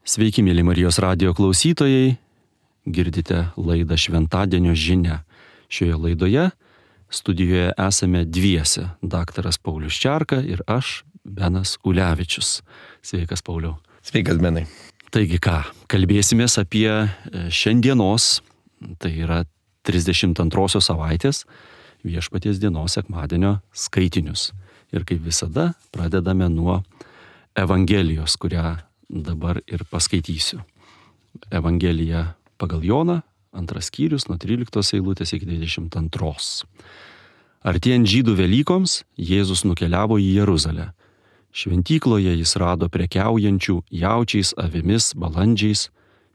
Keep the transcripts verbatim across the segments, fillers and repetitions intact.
Sveiki, mėly Marijos radijo klausytojai, girdite laidą Šventadienio žinia. Šioje laidoje studijoje esame dviese, daktaras Paulius Čerka ir aš, Benas Ulevičius. Sveikas, Pauliau. Sveikas, Benai. Taigi ką, kalbėsimės apie šiandienos, tai yra trisdešimt antrosios savaitės Viešpaties dienos sekmadienio skaitinius. Ir kaip visada pradedame nuo Evangelijos, kurią dabar ir paskaitysiu. Evangelija pagal Joną, antras skyrius, nuo tryliktos eilutės iki dvidešimt antros. Artėjant žydų Velykoms, Jėzus nukeliavo į Jeruzalę. Šventykloje jis rado prekiaujančių jaučiais, avimis, balandžiais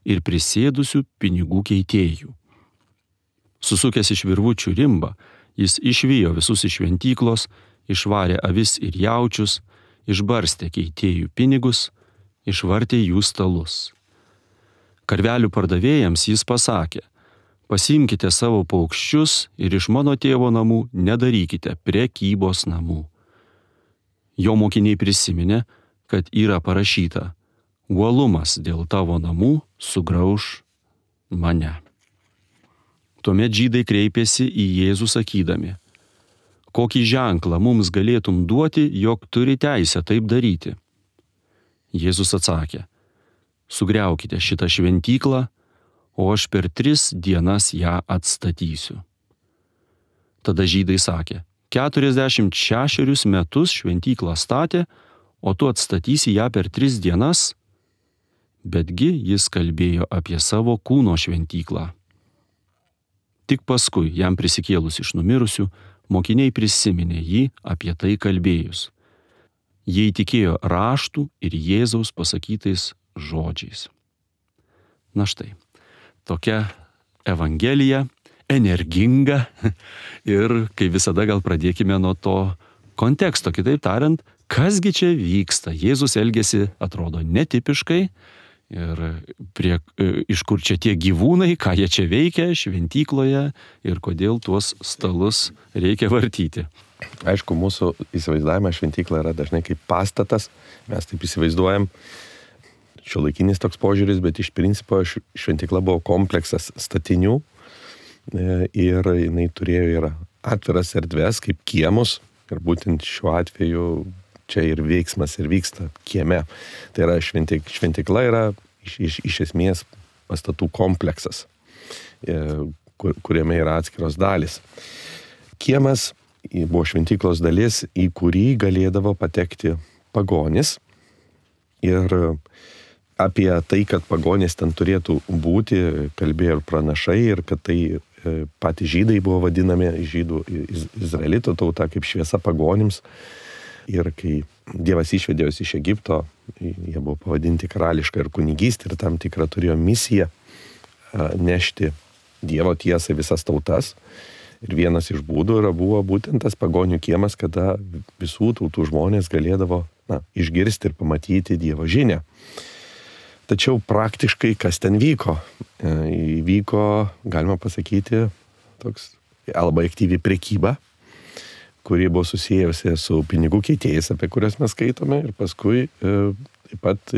ir prisėdusių pinigų keitėjų. Susukęs iš virvučių rimbą, jis išvijo visus iš šventyklos, išvarė avis ir jaučius, išbarstė keitėjų pinigus, išvartė jų stalus. Karvelių pardavėjams jis pasakė: pasiimkite savo paukščius ir iš mano tėvo namų nedarykite prekybos namų. Jo mokiniai prisiminė, kad yra parašyta: uolumas dėl tavo namų sugrauš mane. Tuomet žydai kreipėsi į Jėzų sakydami: kokį ženklą mums galėtum duoti, jog turi teisę taip daryti? Jėzus atsakė: sugriaukite šitą šventyklą, o aš per tris dienas ją atstatysiu. Tada žydai sakė: keturiasdešimt šešerius metus šventyklą statė, o tu atstatysi ją per tris dienas? Betgi jis kalbėjo apie savo kūno šventyklą. Tik paskui, jam prisikėlus iš numirusių, mokiniai prisiminė jį apie tai kalbėjus. Jie įtikėjo raštų ir Jėzaus pasakytais žodžiais. Na štai, tokia Evangelija, energinga ir, kaip visada, gal pradėkime nuo to konteksto. Kitaip tariant, kasgi čia vyksta? Jėzus elgiasi, atrodo, netipiškai. Ir prie, iš kur čia tie gyvūnai, ką jie čia veikia šventykloje ir kodėl tuos stalus reikia vartyti. Aišku, mūsų įsivaizdavimas šventykla yra dažnai kaip pastatas. Mes taip įsivaizduojam, šiuolaikinis toks požiūris, bet iš principo šventykla buvo kompleksas statinių ir jinai turėjo ir atviras erdves kaip kiemus. Ir būtent šiuo atveju čia ir veiksmas ir vyksta kieme. Tai yra šventyk, šventykla yra iš, iš, iš esmės pastatų kompleksas, kur, kuriame yra atskiros dalys. Kiemas buvo šventyklos dalis, į kurį galėdavo patekti pagonis. Ir apie tai, kad pagonis ten turėtų būti, kalbėjo ir pranašai, ir kad tai patys žydai buvo vadinami, žydų izraelito tauta, kaip šviesa pagonims. Ir kai Dievas išvedė juos iš Egipto, jie buvo pavadinti karališką ir kunigystę ir tam tikrą turėjo misiją nešti Dievo tiesą visas tautas. Ir vienas iš būdų yra buvo būtent tas pagonių kiemas, kada visų tautų žmonės galėdavo na, išgirsti ir pamatyti Dievo žinią. Tačiau praktiškai kas ten vyko? Įvyko, galima pasakyti, toks labai aktyvi prekyba, kuri buvo susijusi su pinigų keitėjais, apie kurias mes skaitome, ir paskui e, taip pat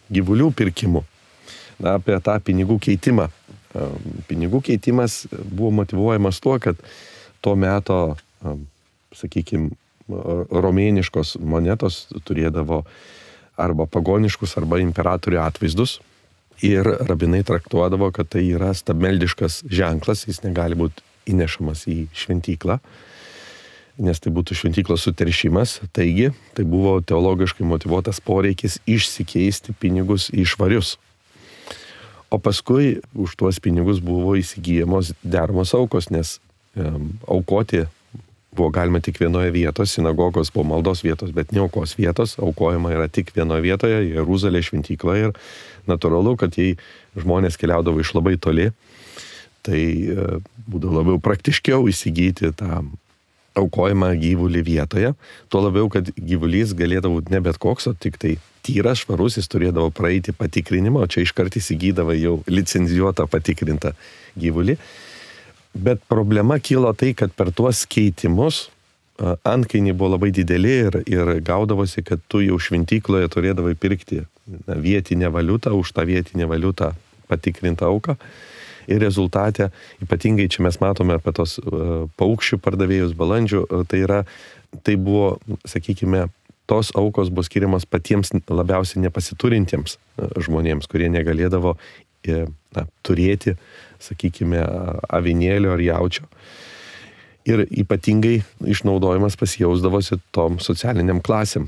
gyvulių pirkimu. Na, apie tą pinigų keitimą. E, pinigų keitimas buvo motyvuojamas tuo, kad tuo meto, e, sakykime, romėniškos monetos turėdavo arba pagoniškus, arba imperatorių atvaizdus. Ir rabinai traktuodavo, kad tai yra stabmeldiškas ženklas, jis negali būti įnešamas į šventyklą, nes tai būtų šventyklos suteršimas. Taigi, tai buvo teologiškai motyvuotas poreikis išsikeisti pinigus į švarius. O paskui už tuos pinigus buvo įsigyjamos deramos aukos, nes um, aukoti buvo galima tik vienoje vietoje, sinagogos buvo maldos vietos, bet ne aukos vietos, aukojama yra tik vienoje vietoje, Jeruzalė šventykla, ir natūralu, kad jei žmonės keliaudavo iš labai toli, tai uh, būdavo labiau praktiškiau įsigyti tą aukojimą gyvulį vietoje, tuo labiau, kad gyvulys galėdavo ne bet koks, o tik tai tyras, švarus, jis turėdavo praeiti patikrinimą, o čia iškart įsigydavo jau licencijuotą patikrintą gyvulį. Bet problema kilo tai, kad per tuos keitimus antkainiai buvo labai dideli ir, ir gaudavosi, kad tu jau šventykloje turėdavai pirkti na, vietinę valiutą, už tą vietinę valiutą patikrintą auką. Ir rezultate, ypatingai čia mes matome apie tos uh, paukščių pardavėjus balandžių, uh, tai yra, tai buvo, sakykime, tos aukos buvo skiriamas patiems labiausiai nepasiturintiems uh, žmonėms, kurie negalėdavo uh, na, turėti, sakykime, avinėlio ar jaučio. Ir ypatingai išnaudojimas pasijausdavosi tom socialiniam klasėm,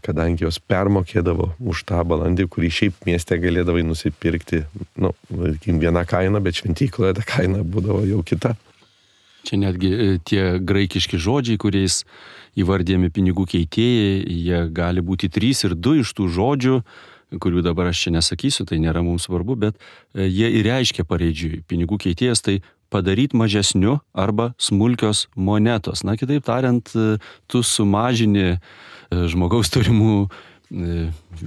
kadangi jos permokėdavo už tą balandį, kurį šiaip mieste galėdavai nusipirkti, nu, viena kaina, bet šventykloje ta kaina būdavo jau kita. Čia netgi tie graikiški žodžiai, kuriais įvardėjami pinigų keitėjai, jie gali būti trys ir du iš tų žodžių, kurių dabar aš čia nesakysiu, tai nėra mums svarbu, bet jie ir reiškia pareidžiui. Pinigų keitėjas tai padaryti mažesniu arba smulkios monetos. Na, kitaip tariant, tu sumažini žmogaus turimų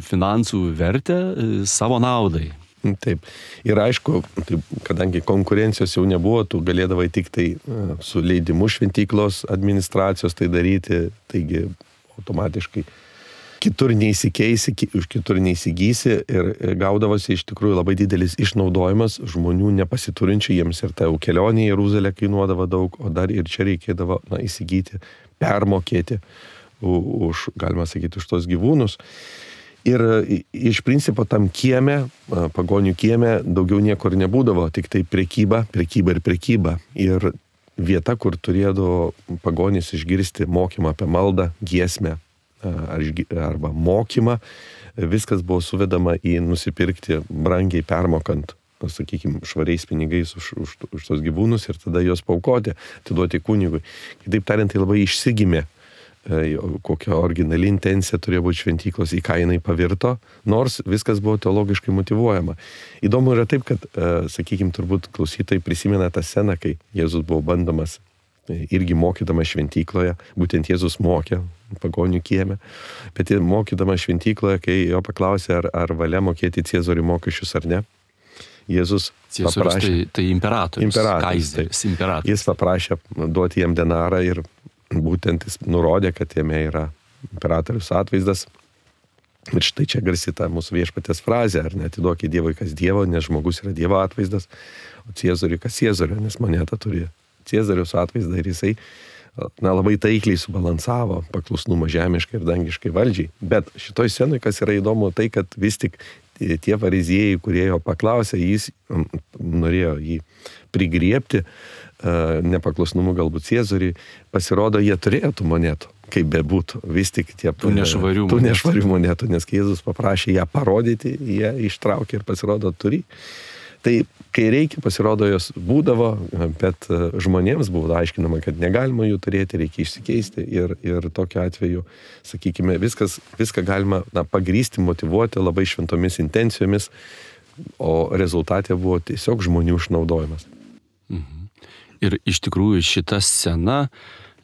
finansų vertę savo naudai. Taip. Ir aišku, taip, kadangi konkurencijos jau nebuvo, tu galėdavai tik tai su leidimu šventyklos administracijos tai daryti, taigi automatiškai kitur neįsikeisi, už kitur neįsigysi ir gaudavosi iš tikrųjų labai didelis išnaudojimas žmonių nepasiturinčių, jiems ir ta kelionė į Jeruzalę kainuodavo daug, o dar ir čia reikėdavo na, įsigyti, permokėti už, galima sakyti, už tos gyvūnus. Ir iš principo tam kieme, pagonių kieme, daugiau niekur nebūdavo, tik tai prekyba, prekyba ir prekyba. Ir vieta, kur turėdavo pagonys išgirsti mokymą apie maldą, giesmę, arba mokymą, viskas buvo suvedama į nusipirkti brangiai permokant, sakykime, švariais pinigais už, už, už tos gyvūnus ir tada juos paukoti, atiduoti kunigui. Kitaip tariant, tai labai išsigimė, kokia originali intencija turėjo būti šventyklos, į ką jinai pavirto, nors viskas buvo teologiškai motyvuojama. Įdomu yra taip, kad, sakykime, turbūt klausytojai prisimena tą sceną, kai Jėzus buvo bandomas irgi mokydamas šventykloje, būtent Jėzus mokė pagonių kieme, bet mokydamas šventykloje, kai jo paklausė, ar, ar valia mokėti Ciezoriui mokesčius ar ne, Jėzus Ciezorius paprašė... Tai, tai imperatorius, imperatorius kaizeris, imperatorius. Jis paprašė duoti jam denarą ir būtent jis nurodė, kad jame yra imperatorius atvaizdas. Ir štai čia garsi ta mūsų viešpaties frazė, ar neatiduokit Dievui kas Dievo, nes žmogus yra Dievo atvaizdas, o Ciezoriui kas Ciezorio, nes moneta turi Ciezoriaus atvaizdą ir jisai na, labai taikliai subalansavo paklusnumą žemiškai ir dangiškai valdžiai. Bet šitoj scenui, kas yra įdomu, tai, kad vis tik tie fariziejai, kurie jo paklausė, jis norėjo jį prigriebti, nepaklusnumu galbūt Ciezoriui, pasirodo, jie turėjo tų monetų, kaip bebūtų, vis tik tie tų nešvarių tų nešvarių monetų, nes kai Jėzus paprašė ją parodyti, jie ištraukė ir pasirodo turi. Tai kai reikia, pasirodo, jos būdavo, bet žmonėms buvo aiškinama, kad negalima jų turėti, reikia išsikeisti ir, ir tokiu atveju, sakykime, viskas, viską galima na, pagrysti, motyvuoti labai šventomis intencijomis, o rezultatė buvo tiesiog žmonių išnaudojimas. Mhm. Ir iš tikrųjų šita scena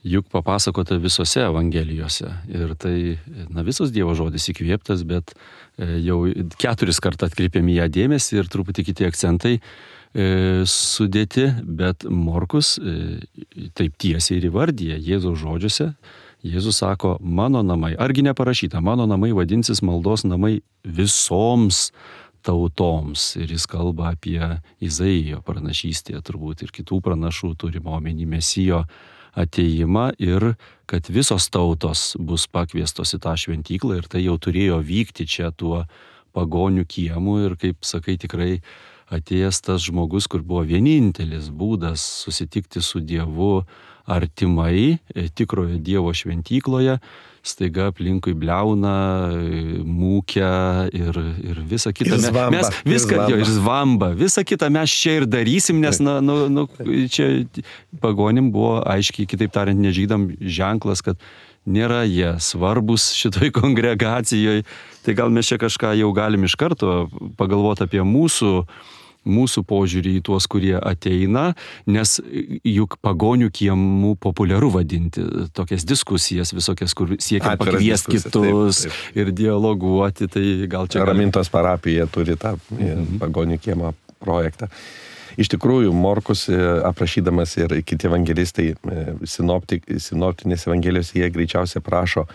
juk papasakota visose evangelijose. Ir tai, na, visos Dievo žodis įkvėptas, bet jau keturis kartą atkreipiam į ją dėmesį ir truputį kiti akcentai e, sudėti, bet Morkus e, taip tiesiai ir įvardyja Jėzaus žodžiuose. Jėzus sako, mano namai, argi neparašyta, mano namai vadinsis maldos namai visoms tautoms. Ir jis kalba apie Izaijo pranašystę, turbūt ir kitų pranašų turimo omeny Mesijo ateimą ir kad visos tautos bus pakviestos į tą šventyklą ir tai jau turėjo vykti čia tuo pagonių kiemu ir, kaip sakai, tikrai atėjęs tas žmogus, kur buvo vienintelis būdas susitikti su Dievu artimai, tikrojo Dievo šventykloje, staiga aplinkui bliauna, mūkia ir, ir visa kita. Ir zvamba, mes viską, ir jo, ir zvamba. Visą kitą mes čia ir darysim, nes na, nu, nu, čia pagonim buvo aiškiai, kitaip tariant, nežydam ženklas, kad nėra jie svarbus šitoj kongregacijoje. Tai gal mes čia kažką jau galim iš karto pagalvoti apie mūsų mūsų požiūrį į tuos, kurie ateina, nes juk pagonių kiemų populiaru vadinti tokias diskusijas visokias, kur siekia pakviesti kitus taip, taip. Ir dialoguoti, tai gal čia... Ramintos parapija turi tą mhm. pagonių kiemą projektą. Iš tikrųjų, Morkus aprašydamas ir kiti evangelistai sinoptik, sinoptinės evangelijos, jie greičiausiai prašo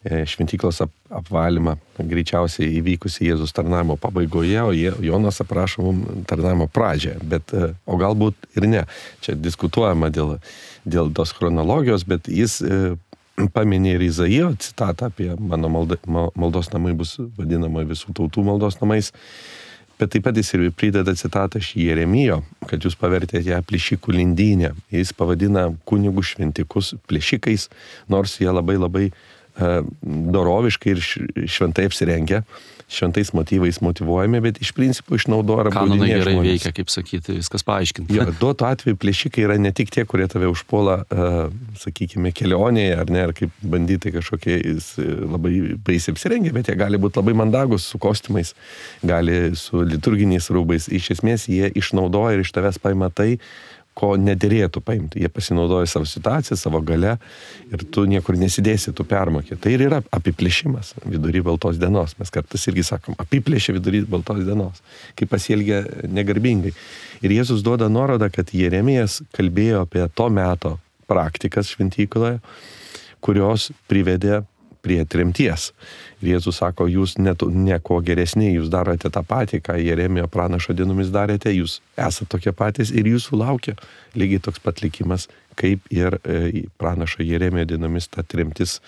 šventyklos ap, apvalymą, greičiausiai įvykusi Jėzus tarnavimo pabaigoje, o Jonas aprašo mums tarnavimo pradžią, bet, o galbūt ir ne. Čia diskutuojama dėl, dėl tos chronologijos, bet jis paminė ir Izaijo citatą apie mano malda, maldos namai bus vadinama visų tautų maldos namais, bet taip pat jis ir prideda citatą iš Jeremijo, kad jūs pavertėte ją plėšikų lindynę. Jis pavadina kunigų šventikus plėšikais, nors jie labai labai doroviškai ir šventai apsirengia, šventais motyvais motyvuojami, bet iš principo išnaudoja arba kanonai gerai žmonės. Veikia, kaip sakyti, viskas paaiškinta. Jo, duotų atveju plėšikai yra ne tik tie, kurie tave užpuola, uh, sakykime, kelionėje, ar ne, ar kaip banditai kažkokiais labai baisiai apsirengia, bet jie gali būti labai mandagus su kostiumais, gali su liturginiais rūbais. Iš esmės jie išnaudoja ir iš tavęs paima tai, ko nederėtų paimti. Jie pasinaudoja savo situaciją, savo gale ir tu niekur nesidėsi, tu permokė. Tai ir yra apiplėšimas vidury baltos dienos. Mes kartais irgi sakom, apiplėšė vidury baltos dienos, kai pasielgia negarbingai. Ir Jėzus duoda nuorodą, kad Jeremijas kalbėjo apie to meto praktikas šventykloje, kurios privedė prie tremties. Ir Jėzus sako, jūs net, nieko geresni, jūs darote tą patį, ką Jeremijo pranašo dienomis darėte, jūs esate tokie patys ir jūsų laukia lygiai toks pat likimas, kaip ir e, pranašo Jeremijo dienomis ta tremtis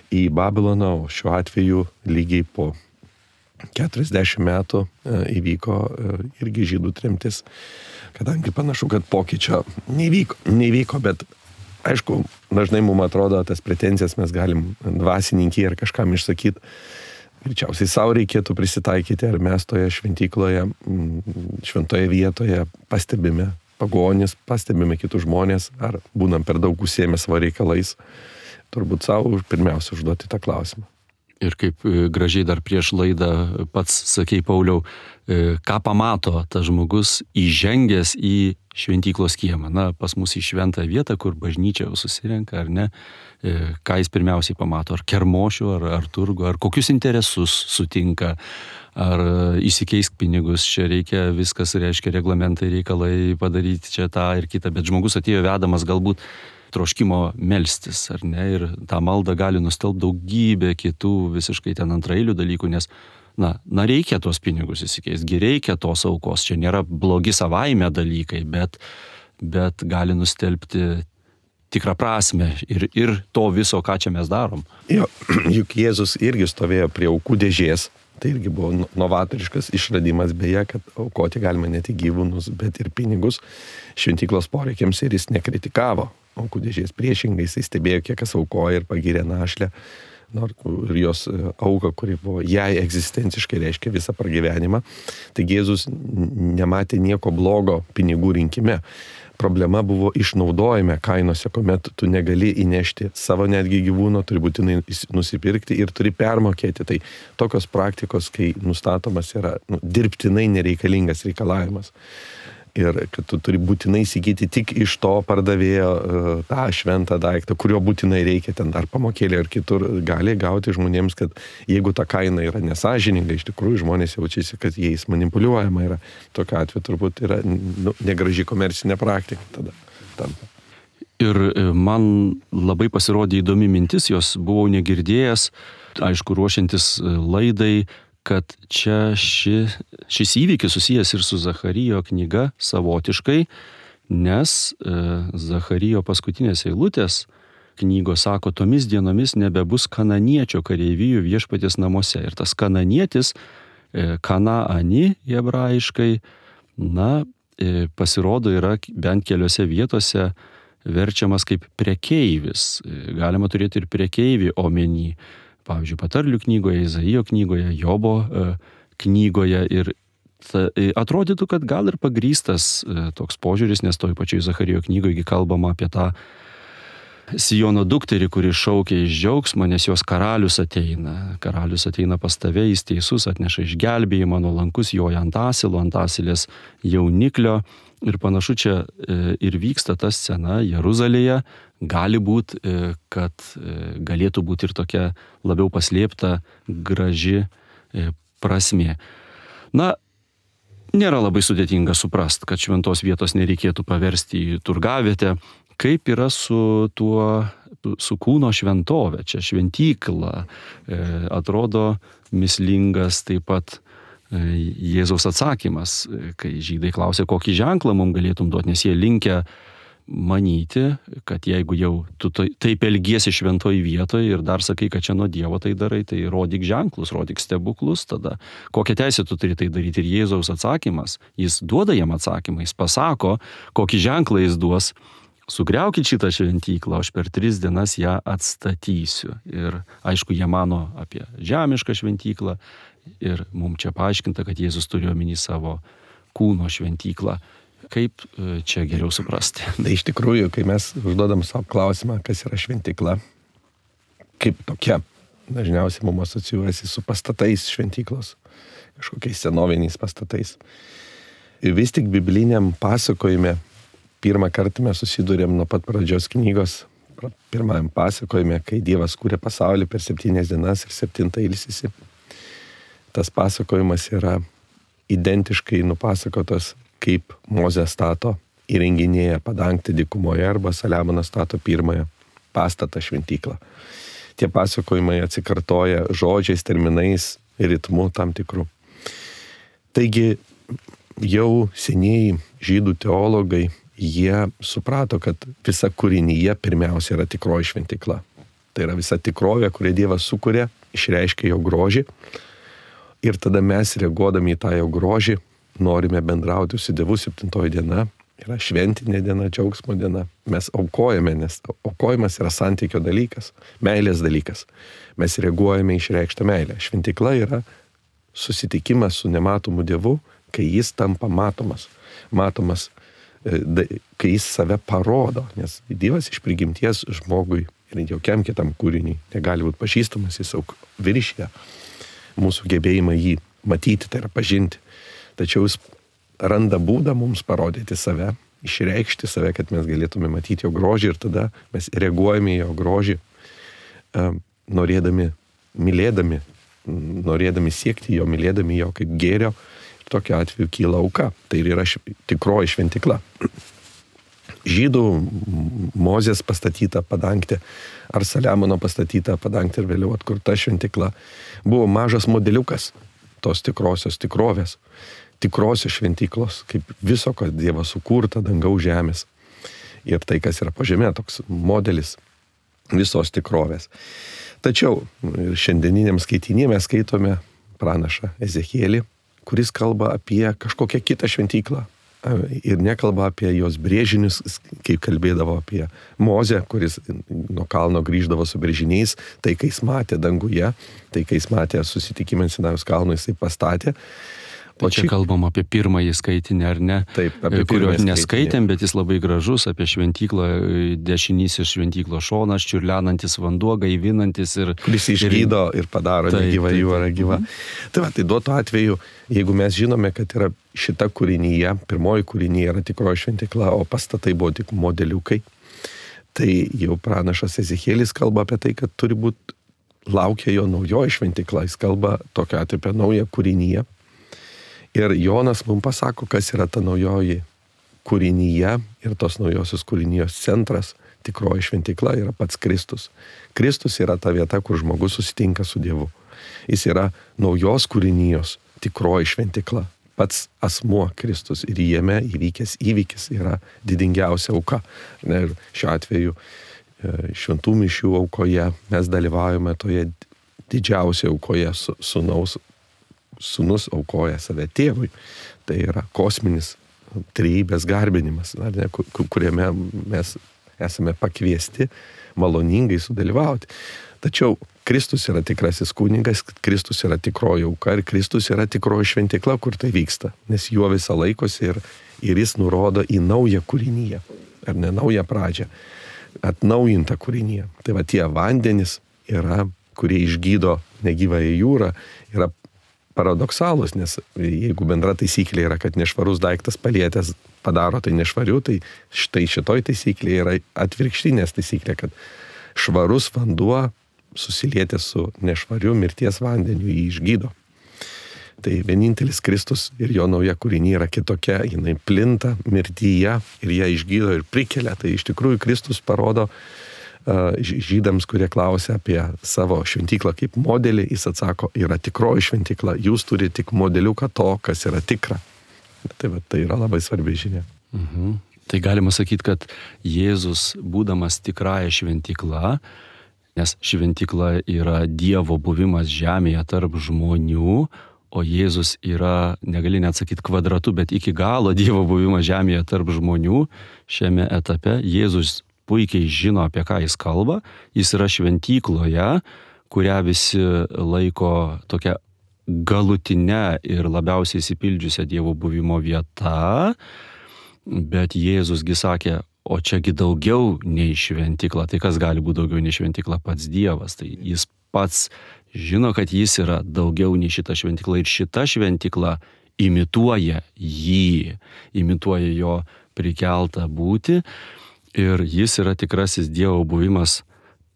į Babiloną, o šiuo atveju lygiai po keturiasdešimt metų e, įvyko e, irgi žydų tremtis, kadangi panašu, kad pokyčio nevyko, nevyko, bet aišku, dažnai mums atrodo, tas pretenzijas mes galim dvasininkiai ar kažkam išsakyti. Greičiausiai savo reikėtų prisitaikyti, ar mes toje šventykloje, šventoje vietoje pastebime pagonis, pastebime kitus žmonės, ar būnam per daug užsiėmę savo reikalais. Turbūt savo pirmiausia užduoti tą klausimą. Ir kaip gražiai dar prieš laidą pats sakei, Pauliau, ką pamato tas žmogus įžengęs į šventyklos kiemą. Na, pas mus į šventą vietą, kur bažnyčia jau susirenka, ar ne, ką jis pirmiausiai pamato, ar kermošių, ar, ar turgų, ar kokius interesus sutinka, ar įsikeisk pinigus, čia reikia viskas, reiškia reglamentai, reikalai padaryti čia tą ir kitą, bet žmogus atėjo vedamas galbūt troškimo melstis, ar ne, ir tą maldą gali nustelbti daugybę kitų visiškai ten antraeilių dalykų, nes, na, na reikia tuos pinigus įsikeisti, reikia tos aukos, čia nėra blogi savaime dalykai, bet, bet gali nustelbti tikrą prasme ir, ir to viso, ką čia mes darom. Jo, juk Jėzus irgi stovėjo prie aukų dėžės, tai irgi buvo novatoriškas išradimas, beje, kad aukoti galima ne tik gyvūnus, bet ir pinigus šventyklos poreikiams, ir jis nekritikavo aukų dėžės, priešingai jis stebėjo, kiek kas aukoja ir pagyrė našlę, ir jos auką, kuri buvo jai egzistenciškai reiškia visą pragyvenimą. Taigi Jėzus nematė nieko blogo pinigų rinkime. Problema buvo išnaudojime kainose, kuomet tu negali įnešti savo netgi gyvūno, turi būtinai nusipirkti ir turi permokėti. Tai tokios praktikos, kai nustatomas yra nu, dirbtinai nereikalingas reikalavimas. Ir kad tu turi būtinai įsigyti tik iš to pardavėjo tą šventą daiktą, kurio būtinai reikia ten dar pamokėlį ar kitur, gali gauti žmonėms, kad jeigu ta kaina yra nesąžininga, iš tikrųjų žmonės jaučiasi, kad jais manipuliuojama yra. Tokiu atveju turbūt yra nu, negraži komercinė praktika tada tampa. Ir man labai pasirodė įdomi mintis, jos buvau negirdėjęs, aišku, ruošiantis laidai, kad čia ši, šis įvykis susijęs ir su Zacharijo knyga savotiškai, nes e, Zacharijo paskutinės eilutės knygos sako, tomis dienomis nebebus kananiečio kareivijų viešpaties namuose. Ir tas kananietis, e, kanaani hebrajiškai, na, e, pasirodo yra bent keliose vietose verčiamas kaip prekeivis. E, galima turėti ir prekeivį omeny. Pavyzdžiui, Patarlių knygoje, Izaijo knygoje, Jobo e, knygoje ir ta, e, atrodytų, kad gal ir pagrįstas e, toks požiūris, nes toj pačioj Zacharijo knygoje kalbama apie tą Siono dukterį, kuri šaukia iš džiaugsmo, nes jos karalius ateina. Karalius ateina pas tave, jis teisus, atneša išgelbėjimą, nuolankus joja ant asilo, ant asilės jauniklio. Ir panašu čia e, ir vyksta ta scena Jeruzalėje. Gali būti, e, kad e, galėtų būti ir tokia labiau paslėpta, graži e, prasmė. Na, nėra labai sudėtinga suprast, kad šventos vietos nereikėtų paversti į turgavietę. Kaip yra su tuo su, su kūno šventovė, čia šventykla, e, atrodo mislingas taip pat e, Jėzaus atsakymas, kai žydai klausė, kokį ženklą mums galėtum duoti, nes jie linkę manyti, kad jeigu jau tu taip elgiesi šventoj vietoje ir dar sakai, kad čia nuo Dievo tai darai, tai rodyk ženklus, rodyk stebuklus, tada kokią teisę tu turi tai daryti. Ir Jėzaus atsakymas, jis duoda jam atsakymą, jis pasako, kokį ženklą jis duos, sugriaukit šitą šventyklą, aš per tris dienas ją atstatysiu. Ir aišku, jie mano apie žemišką šventyklą ir mums čia paaiškinta, kad Jėzus turi omeny savo kūno šventyklą. Kaip čia geriau suprasti? Tai iš tikrųjų, kai mes užduodam savo klausimą, kas yra šventykla, kaip tokia, dažniausiai mums asocijuojasi su pastatais šventyklos, kažkokiais senoviniais pastatais. Ir vis tik bibliniam pasakojime, pirmą kartą mes susidurėm nuo pat pradžios knygos, pirmajam pasakojime, kai Dievas kūrė pasaulį per septynias dienas ir septintą ilsisi. Tas pasakojimas yra identiškai nupasakotas, kaip Mozė stato įrenginėja padangtę dykumoje arba Saliamonas stato pirmąją pastatą šventyklą. Tie pasakojimai atsikartoja žodžiais, terminais, ritmu tam tikrų. Taigi jau senieji žydų teologai, jie suprato, kad visa kūrinyje pirmiausia yra tikroji šventykla. Tai yra visa tikrovė, kurią Dievas sukūrė, išreiškia jo grožį. Ir tada mes, reaguodami į tą jo grožį, norime bendrauti su Dievu. Septintoji diena yra šventinė diena, džiaugsmo diena. Mes aukojame, nes aukojimas yra santykio dalykas, meilės dalykas. Mes reaguojame išreikštą meilę. Šventykla yra susitikimas su nematomu Dievu, kai jis tampa matomas. Matomas, kai jis save parodo, nes Dievas iš prigimties žmogui ir jokiam kitam kūriniui negali būti pažįstamas, jis auk viršyje mūsų gebėjimą jį matyti, tai yra pažinti. Tačiau jis randa būdą mums parodyti save, išreikšti save, kad mes galėtume matyti jo grožį ir tada mes reaguojame į jo grožį, norėdami, mylėdami, norėdami siekti jo, mylėdami jo kaip gėrio. Ir tokiu atveju kyla auka. Tai yra tikroji šventykla. Žydų Mozės pastatyta padangtė ar Saliamono pastatyta padangtė ir vėliau atkurta šventykla buvo mažas modeliukas tos tikrosios tikrovės, tikrosios šventyklos, kaip viso, kas Dievas sukurta, dangaus žemės. Ir tai, kas yra po žemė, toks modelis visos tikrovės. Tačiau šiandieniniam skaitinį mes skaitome pranašą Ezechielį, kuris kalba apie kažkokią kitą šventyklą. Ir nekalba apie jos brėžinius, kaip kalbėdavo apie Mozę, kuris nuo kalno grįždavo su brėžiniais, tai kai jis matė danguje, tai kai jis matė susitikimą ant Sinajaus kalno, jisai pastatė. O čia kalbam apie pirmąjį skaitinį, ar ne? Taip, apie kurio pirmąjį neskaitėm, bet jis labai gražus, apie šventyklą, dešinysis šventyklos šonas, čiurlenantis vanduo, gaivinantis ir... Kuris išgydo ir padaro negyvą jūrą gyvą. Tai va, tai duotų atveju, jeigu mes žinome, kad yra šita kūrinyje, pirmoji kūrinyje yra tikroji šventykla, o pastatai buvo tik modeliukai, tai jau pranašas Ezechielis kalba apie tai, kad turi būti laukia jo naujoji šventykla, jis kalba tokia apie naują kūrinyje. Ir Jonas mums pasako, kas yra ta naujoji kūrinyje ir tos naujosios kūrinijos centras, tikroji šventykla yra pats Kristus. Kristus yra ta vieta, kur žmogus susitinka su Dievu. Jis yra naujos kūrinijos tikroji šventykla. Pats asmuo Kristus ir jame įvykęs įvykis yra didingiausia auka. Ir šiuo atveju šventų mišių aukoje mes dalyvaujame toje didžiausioje aukoje su sūnaus. Sūnus aukoja save tėvui. Tai yra kosminis trejybės garbinimas, ar ne, kuriame mes esame pakviesti maloningai sudalyvauti. Tačiau Kristus yra tikrasis kunigas, Kristus yra tikroji auka ir Kristus yra tikroji šventykla, kur tai vyksta. Nes juo visą laikosi ir, ir jis nurodo į naują kūrinyje, ar ne naują pradžią, atnaujintą kūrinyje. Tai va tie vandenys yra, kurie išgydo negyvąją jūrą, yra paradoksalus, nes jeigu bendra taisyklė yra, kad nešvarus daiktas palietęs padaro tai nešvariu, tai štai šitoj taisyklė yra atvirkštinės taisyklė, kad švarus vanduo susilietęs su nešvariu mirties vandeniu jį išgydo. Tai vienintelis Kristus ir jo nauja kūrinė yra kitokia, jinai plinta mirtyje ir ją išgydo ir prikelia. Tai iš tikrųjų Kristus parodo žydams, kurie klausia apie savo šventyklą kaip modelį, jis atsako, yra tikroji šventykla, jūs turite tik modeliuką to, kas yra tikra. Tai, va, tai yra labai svarbi žinia. Mhm. Tai galima sakyti, kad Jėzus, būdamas tikrąja šventykla, nes šventykla yra Dievo buvimas žemėje tarp žmonių, o Jėzus yra, negali net sakyti kvadratu, bet iki galo Dievo buvimas žemėje tarp žmonių, šiame etape Jėzus puikiai žino, apie ką jis kalba, jis yra šventykloje, kurią visi laiko tokia galutinė ir labiausiai įsipildžiusią Dievo buvimo vieta, bet Jėzusgi sakė, o čiagi daugiau nei šventykla, tai kas gali būti daugiau nei šventykla? Pats Dievas, tai jis pats žino, kad jis yra daugiau nei šita šventykla ir šita šventykla imituoja jį, imituoja jo prikeltą būtį ir jis yra tikrasis Dievo buvimas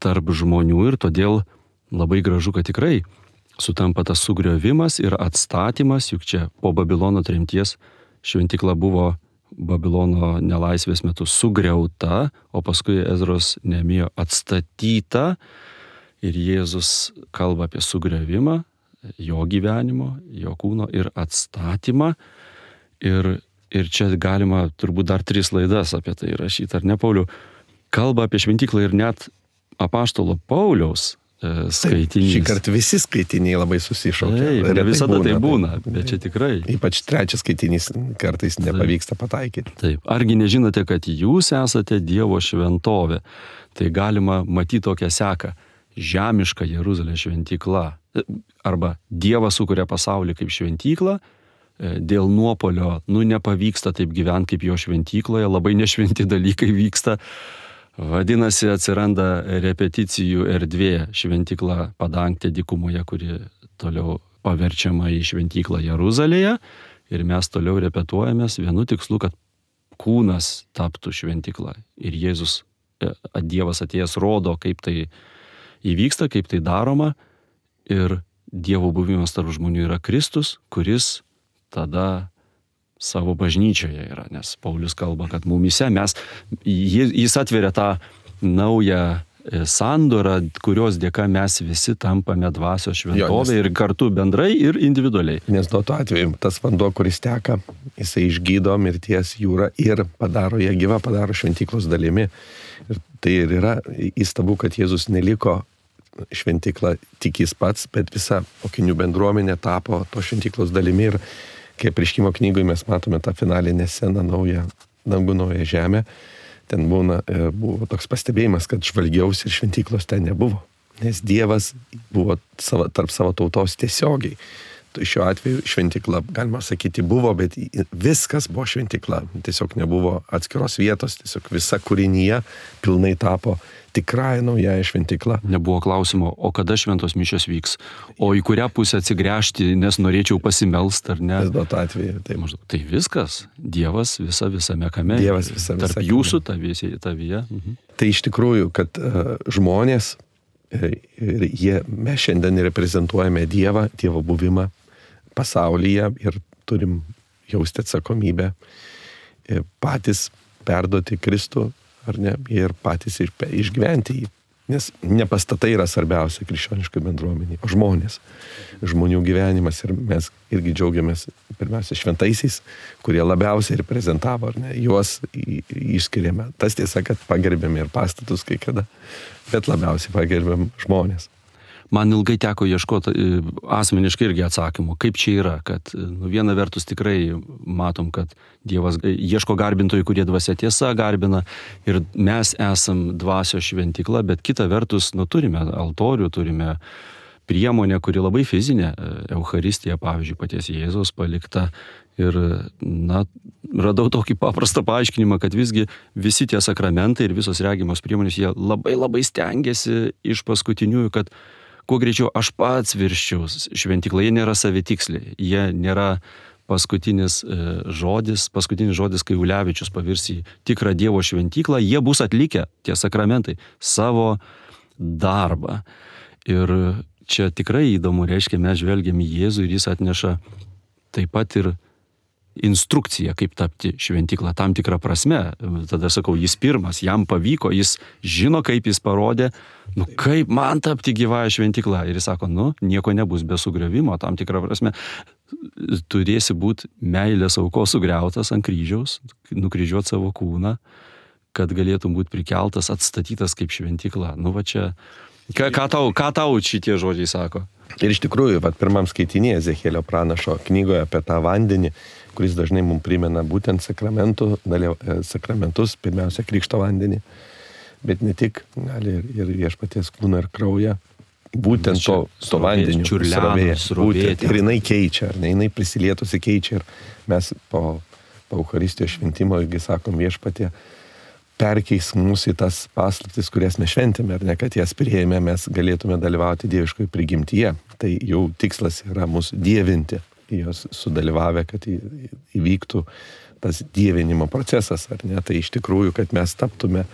tarp žmonių ir todėl labai gražu, kad tikrai sutampa tas sugriovimas ir atstatymas, juk čia po Babilono tremties šventykla buvo Babilono nelaisvės metu sugriauta, o paskui Ezros Nehemijo atstatyta ir Jėzus kalba apie sugriovimą, jo gyvenimo, jo kūno ir atstatymą. Ir, ir čia galima turbūt dar tris laidas apie tai rašyti, ar ne, Pauliau? Kalba apie šventyklą ir net apaštalo Pauliaus skaitinys. Šį kartą visi skaitiniai labai susišaukia. Taip, ne visada būna, tai būna, bet čia tikrai. Ypač trečias skaitinys kartais nepavyksta pataikyti. Taip, argi nežinote, kad jūs esate Dievo šventovė? Tai galima matyti tokią seką. Žemiška Jeruzalės šventykla. Arba Dievas sukuria pasaulį kaip šventyklą, dėl nuopolio, nu nepavyksta taip gyventi kaip jo šventykloje, labai nešventi dalykai vyksta. Vadinasi, atsiranda repeticijų erdvė, šventykla padangtė dykumoje, kuri toliau paverčiama į šventyklą Jeruzalėje ir mes toliau repetuojamės vienu tikslu, kad kūnas taptų šventykla. Ir Jėzus, Dievas atėjęs rodo, kaip tai įvyksta, kaip tai daroma ir Dievo buvimas tarp žmonių yra Kristus, kuris tada savo bažnyčioje yra, nes Paulius kalba, kad mumyse mes, jis atveria tą naują sandorą, kurios dėka mes visi tampame dvasios šventovė ir kartu bendrai ir individualiai. Nes nuo to atveju tas vanduo, kuris teka, jisai išgydo mirties jūrą ir padaro ją gyvą, padaro šventyklos dalimi. Ir tai ir yra įstabu, kad Jėzus neliko šventykla tik jis pats, bet visa mokinių bendruomenė tapo to šventyklos dalimi ir kai Apreiškimo knygoje mes matome tą finalinę sceną, naują dangų, naują žemę, ten būna, buvo toks pastebėjimas, kad žvalgiausi ir šventyklos ten nebuvo, nes Dievas buvo savo, tarp savo tautos tiesiogiai. Tai šiuo atveju šventykla, galima sakyti, buvo, bet viskas buvo šventykla, tiesiog nebuvo atskiros vietos, tiesiog visa kūrinyje pilnai tapo tikrąją naująją šventyklą. Nebuvo klausimo, o kada šventos mišios vyks, o į kurią pusę atsigręžti, nes norėčiau pasimelst, ar ne? Bet atveju, tai maždaug. Tai viskas, Dievas visa visame kame. Dievas visa tarp visame. Jūsų tavyje. tavyje. Mhm. Tai iš tikrųjų, kad uh, žmonės, ir jie, mes šiandien reprezentuojame Dievą, Dievo buvimą pasaulyje ir turim jausti atsakomybę patys perduoti Kristų, ar ne, ir patys išgyventi jį. Nes ne pastatai yra svarbiausia krikščioniškai bendruomeniai, o žmonės, žmonių gyvenimas ir mes irgi džiaugiamės pirmiausia šventaisiais, kurie labiausiai reprezentavo, ar ne, juos išskiriame. Tas tiesa, kad pagerbėme ir pastatus kai kada, bet labiausiai pagerbėm žmonės. Man ilgai teko ieškoti asmeniškai irgi atsakymų, kaip čia yra, kad nu, viena vertus tikrai matom, kad Dievas ieško garbintojų, kurie dvasia tiesa garbina ir mes esam dvasios šventykla, bet kita vertus, nu, turime altorių, turime priemonę, kuri labai fizinė, Eucharistija, pavyzdžiui, paties Jėzaus palikta ir, na, radau tokį paprastą paaiškinimą, kad visgi visi tie sakramentai ir visos regimos priemonės, jie labai labai stengiasi iš paskutiniųjų, kad kuo greičiau aš pats virščiau šventyklą, jie nėra savitiksliai, jie nėra paskutinis žodis, paskutinis žodis, kai Ulevičius pavirs į tikrą Dievo šventyklą, jie bus atlikę, tie sakramentai, savo darbą. Ir čia tikrai įdomu, reiškia, mes žvelgiam į Jėzų ir jis atneša taip pat ir instrukcija, kaip tapti šventykla tam tikrą prasme. Tada sakau, jis pirmas, jam pavyko, jis žino, kaip jis parodė, nu kaip man tapti gyvąją šventykla. Ir jis sako, nu, nieko nebus be sugriovimo, tam tikrą prasme. Turėsi būti meilės aukos sugriautas ant kryžiaus, nukryžiuoti savo kūną, kad galėtum būti prikeltas, atstatytas kaip šventykla. Nu va čia, ką, ką, tau, ką tau šitie žodžiai sako? Ir iš tikrųjų, vat, pirmam skaitinėje Ezechielio pranašo knygoje apie tą vandenį, kuris dažnai mums primena būtent sakramentų, dalyv, sakramentus, pirmiausia, krikšto vandenį, bet ne tik, gali ir, ir viešpaties kūną ir kraują, būtent to, to vandeniu, srovėje, būtent, ir jinai keičia, ar ne, jinai prisilietusi keičia, ir mes po, po Eucharistijos šventimo, irgi sakom, viešpatie, perkeis mūsų į tas paslaptis, kurias mes šventėme, ar ne, kad jas priėjome, mes galėtume dalyvauti dieviškoje prigimtyje. Tai jau tikslas yra mūsų dievinti, jos sudalyvavę, kad įvyktų tas dievinimo procesas, ar ne. Tai iš tikrųjų, kad mes taptume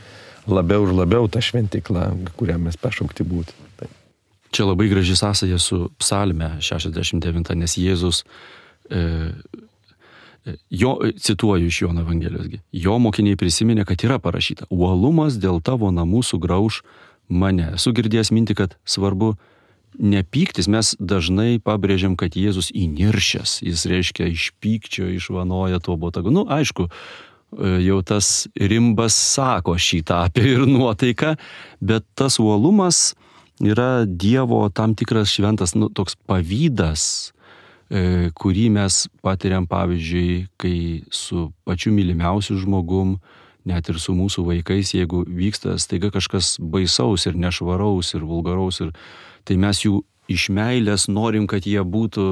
labiau ir labiau tą šventykla, kurią mes pašaukti būti. Tai. Čia labai graži sąsaja su psalme šešiasdešimt devinta, nes Jėzus e, Jo, cituoju iš Jono Evangelijos, jo mokiniai prisiminė, kad yra parašyta, uolumas dėl tavo namų sugrauš mane. Esu girdėjęs mintį, kad svarbu nepyktis, mes dažnai pabrėžiam, kad Jėzus įniršęs, jis reiškia iš pykčio išvanoja tuo botagu. Nu, aišku, jau tas rimbas sako šitą apie ir nuotaiką, bet tas uolumas yra Dievo tam tikras šventas, nu, toks pavydas, kurį mes patiriam, pavyzdžiui, kai su pačiu mylimiausiu žmogum, net ir su mūsų vaikais, jeigu vyksta staiga kažkas baisaus ir nešvaraus ir vulgaraus, ir, tai mes jų iš meilės norim, kad jie būtų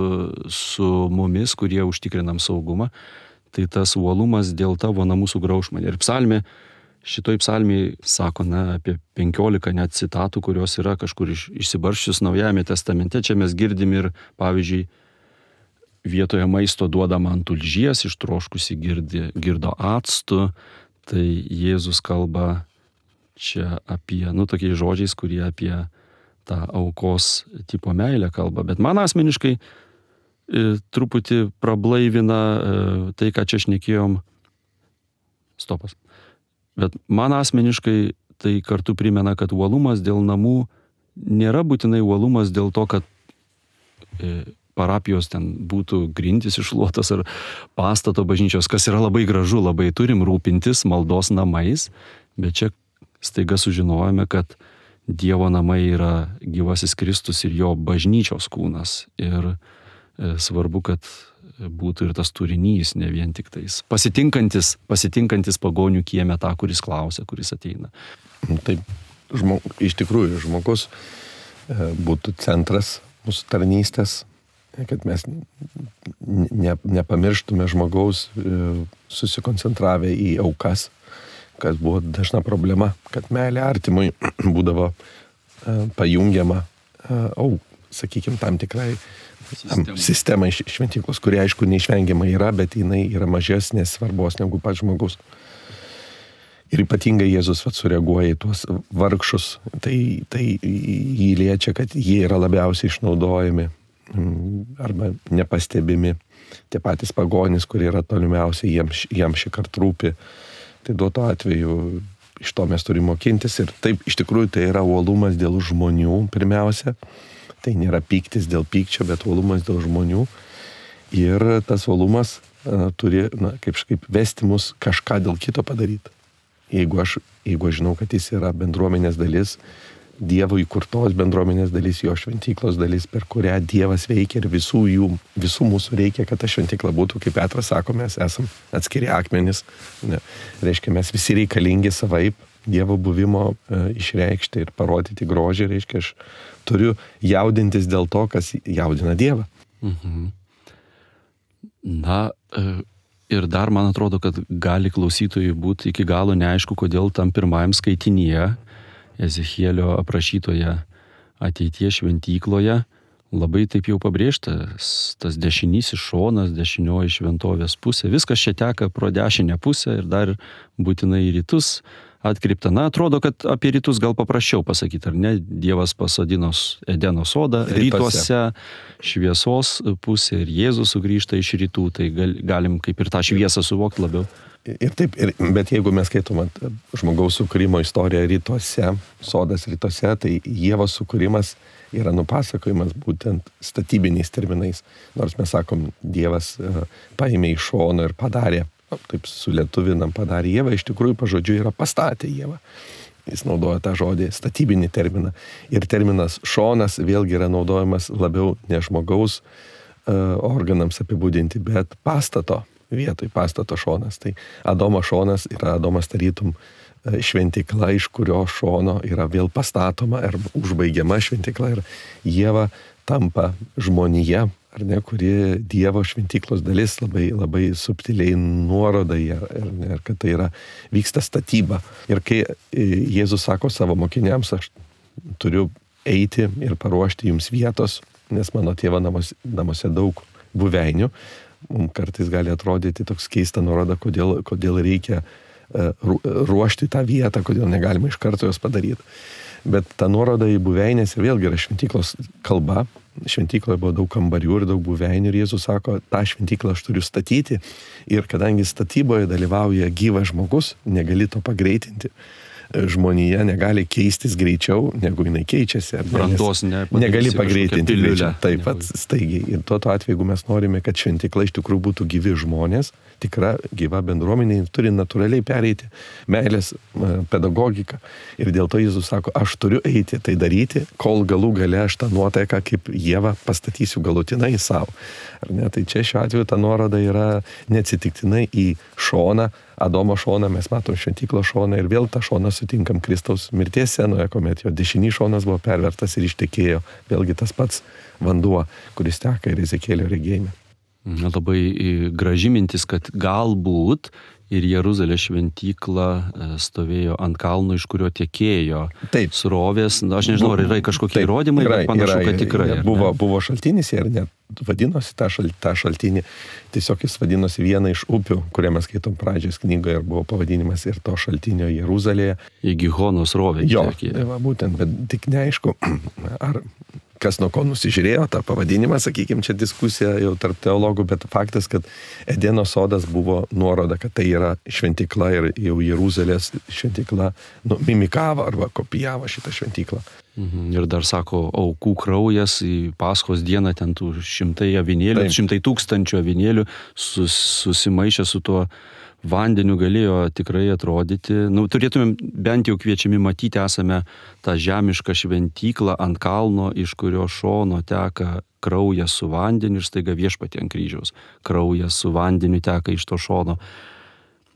su mumis, kurie užtikrinam saugumą, tai tas uolumas dėl tavo namų sugrauš mane. Ir psalmė, šitoj psalmėje sako, na, apie penkiolika net citatų, kurios yra kažkur iš, išsibarščius Naujajame testamente. Čia mes girdim ir, pavyzdžiui, vietoje maisto duodama ant tulžies, ištroškusi girdi, girdo actu, tai Jėzus kalba čia apie, nu, tokiais žodžiais, kurie apie tą aukos tipo meilę kalba. Bet man asmeniškai e, truputį prablaivina e, tai, ką čia šnekėjom. Stopas. Bet man asmeniškai tai kartu primena, kad uolumas dėl namų nėra būtinai uolumas dėl to, kad e, parapijos ten būtų grindys iššluotos ar pastato bažnyčios, kas yra labai gražu, labai turim rūpintis maldos namais, bet čia staiga sužinojome, kad Dievo namai yra gyvasis Kristus ir jo bažnyčios kūnas. Ir svarbu, kad būtų ir tas turinys, ne vien tik tais pasitinkantis, pasitinkantis pagonių kieme tą, kuris klausia, kuris ateina. Taip, žmog, iš tikrųjų, žmogus būtų centras mūsų tarnystės, kad mes ne, nepamirštume žmogaus susikoncentravę į aukas, kas buvo dažna problema, kad meilė artimui būdavo pajungiama, au, sakykime, tam tikrai sistemai, sistemai šventyklos, kurie aišku neišvengiamai yra, bet jinai yra mažesnės svarbos negu pats žmogus. Ir ypatingai Jėzus vat, sureaguoja į tuos vargšus, tai, tai jį liečia, kad jie yra labiausiai išnaudojami arba nepastebimi. Tie patys pagonys, kurie yra tolimiausiai, jam, jam šį kartą rūpi. Tai duoto atveju iš to mes turime mokintis. Ir taip, iš tikrųjų, tai yra uolumas dėl žmonių pirmiausia. Tai nėra pyktis dėl pykčio, bet uolumas dėl žmonių. Ir tas uolumas a, turi, na, kaip, kaip vesti mus kažką dėl kito padaryti. Jeigu aš, jeigu aš žinau, kad jis yra bendruomenės dalis, Dievo įkurtos bendruomenės dalis, jo šventyklos dalis, per kurią Dievas veikia ir visų jų, visų mūsų reikia, kad ta šventykla būtų, kaip Petras sako, mes esam atskiri akmenys. Ne. Reiškia, mes visi reikalingi savaip Dievo buvimo e, išreikšti ir parodyti grožį. Reiškia, aš turiu jaudintis dėl to, kas jaudina Dievą. Mhm. Na, e, ir dar man atrodo, kad gali klausytojui būti iki galo neaišku, kodėl tam pirmajam skaitinyje Ezechielio aprašytoje ateities šventykloje labai taip jau pabrėžtas tas dešinysis šonas, dešinioji šventovės pusė. Viskas čia teka pro dešinę pusę ir dar būtinai į rytus atkreipta. Na, atrodo, kad apie rytus gal paprasčiau pasakyti, ar ne? Dievas pasodino Edeno sodą rytuose, šviesos pusė ir Jėzus sugrįžta iš rytų, tai gal, galim kaip ir tą šviesą suvokti labiau. Ir taip, ir, bet jeigu mes skaitom žmogaus sukūrimo istoriją rytuose, sodas rytuose, tai Ievos sukūrimas yra nupasakojimas būtent statybiniais terminais. Nors mes sakom, Dievas paėmė iš šono ir padarė, taip sulietuvinam, padarė Ievą, iš tikrųjų pažodžiu yra pastatė Ievą. Jis naudoja tą žodį statybinį terminą. Ir terminas šonas vėlgi yra naudojamas labiau ne žmogaus uh, organams apibūdinti, bet pastato vietoj, pastato šonas. Tai Adomo šonas yra Adomas tarytum šventykla, iš kurio šono yra vėl pastatoma ar užbaigiama šventykla ir Ieva tampa žmonija, ar ne, kuri Dievo šventyklos dalis, labai, labai subtiliai nuoroda į ją, ir, ir kad tai yra, vyksta statyba. Ir kai Jėzus sako savo mokiniams, aš turiu eiti ir paruošti jums vietos, nes mano tėvo namuose, namuose daug buveinių, mums kartais gali atrodyti toks keista nuoroda, kodėl, kodėl reikia ruošti tą vietą, kodėl negalima iš karto jos padaryti. Bet ta nuoroda į buveinės ir vėlgi yra šventyklos kalba. Šventykloje buvo daug kambarių ir daug buveinių ir Jėzus sako, tą šventyklą aš turiu statyti ir kadangi statyboje dalyvauja gyvas žmogus, negali to pagreitinti. Žmonija negali keistis greičiau, negu jinai keičiasi. Brandos ne, negali pagreitinti greičiau. Taip pat staigiai. Ir tuo atveju, jeigu mes norime, kad šventykla iš tikrųjų būtų gyvi žmonės, tikra gyva bendruomenė, turi natūraliai pereiti meilės pedagogiką. Ir dėl to Jėzus sako, aš turiu eiti tai daryti, kol galų gale aš tą nuotaiką kaip Ievą pastatysiu galutinai savo. Ar ne? Tai čia šiuo atveju ta nuoroda yra neatsitiktinai į šoną, Adomo šoną, mes matom šventyklos šoną ir vėl tą šoną sutinkam Kristaus mirties scenoje, kuomet jo dešinys šonas buvo pervertas ir ištekėjo. Vėlgi tas pats vanduo, kuris teka ir Ezekėlio regėjime. Labai graži mintis, kad galbūt ir Jeruzalės šventykla stovėjo ant kalno, iš kurio tekėjo taip. Srovės. Na, aš nežinau, ar yra kažkokie taip, įrodymai, yra, bet panašu, yra, kad tikrai. Buvo, buvo šaltinis ir net vadinosi tą, šal, tą šaltinį. Tiesiog jis vadinosi viena iš upių, kurią mes skaitom pradžios knygoje ir buvo pavadinimas ir to šaltinio Jeruzalėje. Į Gihono srovę. Jo, va, būtent, bet tik neaišku, ar kas nuo ko nusižiūrėjo tą pavadinimą, sakykime, čia diskusija jau tarp teologų, bet faktas, kad Edeno sodas buvo nuoroda, kad tai yra šventykla ir jau Jeruzalės šventykla nu, mimikavo arba kopijavo šitą šventyklą. Mhm. Ir dar sako, aukų kraujas į Paschos dieną, ten tų šimtai avinėlių, Taip. šimtai tūkstančių avinėlių sus, susimaišė su tuo vandeniu galėjo tikrai atrodyti. Nu, turėtumėm bent jau kviečiami matyti, esame tą žemišką šventyklą ant kalno, iš kurio šono teka kraujas su vandeniu ir staiga viešpatie ant kryžiaus. Kraujas su vandeniu teka iš to šono.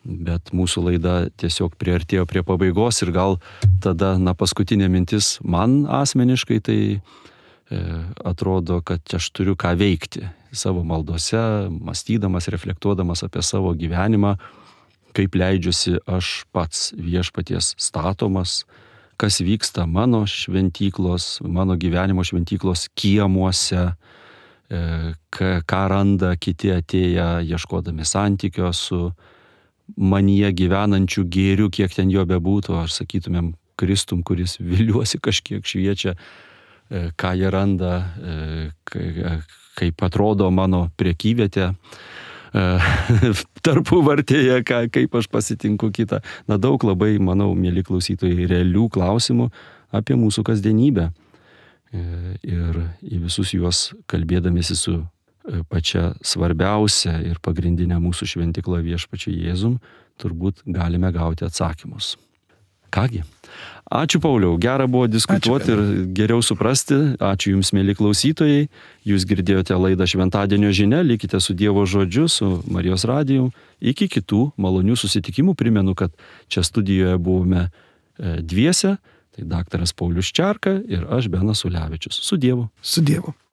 Bet mūsų laida tiesiog priartėjo prie pabaigos ir gal tada, na, paskutinė mintis man asmeniškai, tai e, atrodo, kad aš turiu ką veikti savo maldose, mąstydamas, reflektuodamas apie savo gyvenimą, kaip leidžiuosi aš pats viešpaties statomas, kas vyksta mano šventyklos, mano gyvenimo šventyklos kiemuose, ką randa kiti atėję ieškodami santykio su manyje gyvenančių gėrių, kiek ten jo bebūtų, ar sakytumėm Kristum, kuris viliuosi kažkiek šviečia, ką jie randa, kaip atrodo mano prekyvietė tarpuvartėje, kaip aš pasitinku kitą. Na, daug labai, manau, mieli klausytojai, realių klausimų apie mūsų kasdienybę. Ir į visus juos kalbėdamėsi su pačia svarbiausia ir pagrindinė mūsų šventykla viešpačiu Jėzum, turbūt galime gauti atsakymus. Kągi, ačiū Pauliau, gera buvo diskutuoti ačiū, ir geriau suprasti. Ačiū Jums, mėly klausytojai. Jūs girdėjote laidą Šventadienio žinia, likite su Dievo žodžiu, su Marijos radiju. Iki kitų malonių susitikimų. Primenu, kad čia studijoje buvome dviese, tai daktaras Paulius Čerka ir aš, Benas Ulevičius. Su Dievu. Su Dievu.